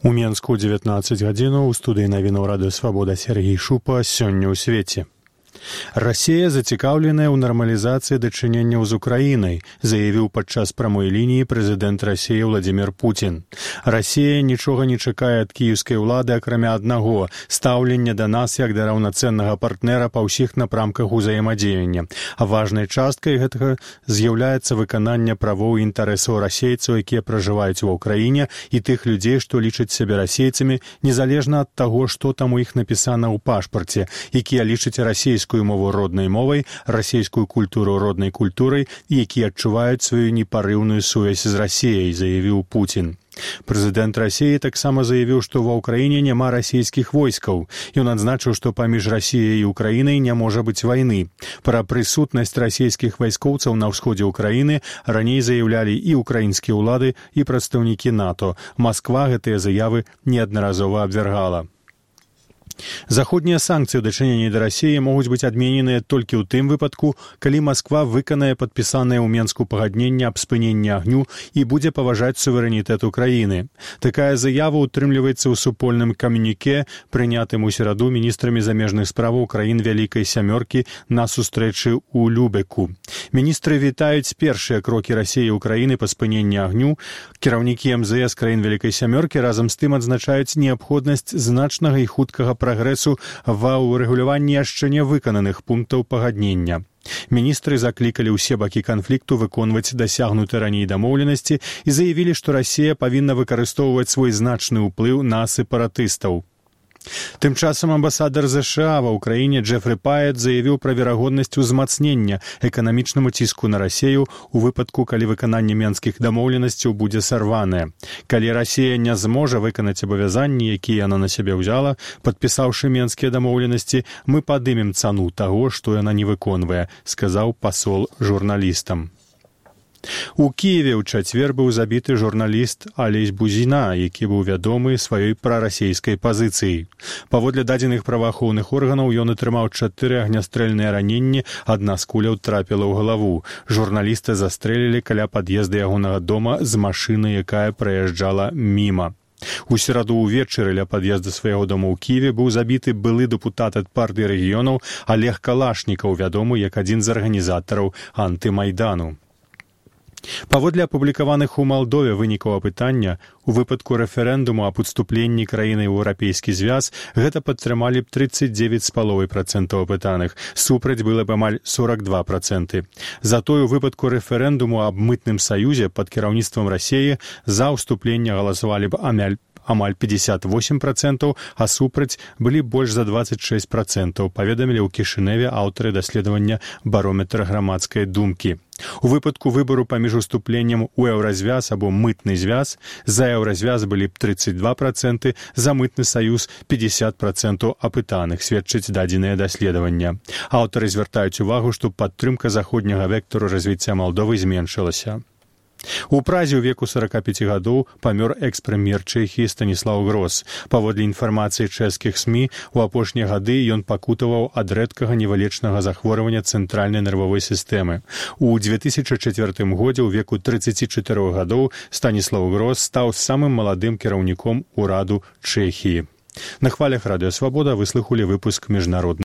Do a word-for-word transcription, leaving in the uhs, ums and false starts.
У Менску ў дзевятнаццаць гадзінаў у студыі навінаў радыё Свабода Сергей Шупа. Сёння ў свеце. Расія зацікаўленая ў нармалізацыі дачыненняў з Украінай, заявіў падчас прамой лініі прэзідэнт Расіі Владзімір Пуцін. Расія нічога не чакае ад кіеўскай улады, акрамя аднаго – стаўлення да нас як да раўнацэннага партнера па ўсіх напрамках узаемадзеяння. А важнай часткай гэтага з'яўляецца выкананне правоў і інтарэсаў расейцаў, якія пражываюць ва ўкраіне, і тых людзей, што лічаць сябе расейцамі, незалежна ад таго, што там у іх напісана ў пашпарце, якія лічаць расійскую мову роднай мовай, расійскую культуру роднай культурай і якія адчуваюць сваю непарыўную сувязь з Расіяй, заявіў Пуцін. Прэзідэнт Расіі таксама заявіў, што ва ўкраіне няма расійскіх войскаў. Ён адзначыў, што паміж Расіяй і Украінай не можа быць вайны. Пра прысутнасць расійскіх вайскоўцаў на ўсходзе ўкраіны раней заяўлялі і ўкраінскія ўлады, і прадстаўнікі НАТО. Масква гэтыя заявы неаднаразова абвяргала. Заходнія санкцыі ў дачыненні да Расіі могуць быць адмененыя толькі ў тым выпадку, калі Масква выканае падпісанае ў Менску пагадненне аб спыненні агню і будзе паважаць суверэнітэт Украіны. Такая заява ўтрымліваецца ў супольным камюніке, прынятым у сераду міністрамі замежных справаў краін Вялікай сямёркі на сустрэчы ў Любеку. Міністры вітаюць першыя крокі Расіі і Украіны па спыненні агню. Кіраўнікі эм зэ эс краін Вялікай сямёркі разам з тым адзначаюць неабходнасць значнага і хуткага прагрэсу ва ўрэгуляванні яшчэ не выкананых пунктаў пагаднення. Міністры заклікалі ўсе бакі канфлікту выконваць дасягнуты раней дамоўленасці і заявілі, што Расія павінна выкарыстоўваць свой значны ўплыў на сепаратыстаў. Тым часам амбасадар ЗША ва ўкраіне Джефры Паэт заявіў пра верагоднасць узмацнення эканамічнаму ціску на Расію у выпадку, калі выкананне менскіх дамоўленасцяў будзе сарванае. Калі Расія не зможа выканаць абавязанні, якія яна на сябе ўзяла, падпісаўшы менскія дамоўленасці, мы падымем цану таго, што яна не выконвае, сказаў пасол журналістам. У Кіеве ў чацвер быў забіты журналіст Алесь Бузіна, які быў вядомы сваёй прарасійскай пазіцыяй. Паводле дадзеных праваахоўных органаў ён атрымаў чатыры агнястрэльныя раненні, адна з куляў трапіла ў галаву. Журналіста застрэлілі каля пад'езда ягонага дома з машыны, якая праязджала міма. У сераду ўвечары ля пад'езда свайго дома ў Кіеве быў забіты былы дэпутат ад партыі рэгіёнаў Олег Калашнікаў, вядомы як адзін з арганізатараў антымайдану. Паводле апублікаваных у Малдове вынікаў апытання, у выпадку рэферэндуму аб уступленні краіны ў еўрапейскі звяз гэта падтрымалі б трыццаць дзевяць з паловай працэнтаў апытаных, супраць было б амаль сорак два працэнты. Затое у выпадку рэферэндуму аб мытным саюзе пад кіраўніцтвам Расіі за ўступленне галасавалі б амаль амаль пятьдесят восемь працэнтаў, а супраць былі больш за двадцать шесть працэнтаў, паведамілі ў Кішыневе аўтары даследавання барометра грамадскай думкі. У выпадку выбару паміж уступленнем у еўразвяз або мытны звяз за еўразвяз былі б трыццаць два працэнты, за мытны саюз пятьдесят працэнтаў апытаных, сведчыць дадзеныя даследавання. Аўтары звяртаюць увагу, што падтрымка заходняга вектару развіцця Малдовы зменшылася. У Празе ў веку сорока пяти гадоў памёр экс-прэм'ер Чэхіі Станіслаў Грос. Паводле інфармацыі чэшскіх СМІ, у апошнія гады ён пакутаваў ад рэдкага невылечнага захворвання цэнтральнай нервовай сістэмы. У две тысячы чацвёртым годзе ў веку трыццаці чатырох гадоў Станіслаў Грос стаў самым маладым кіраўніком ураду Чэхіі. На хвалях радыё Свабода вы слухалі выпуск міжнародных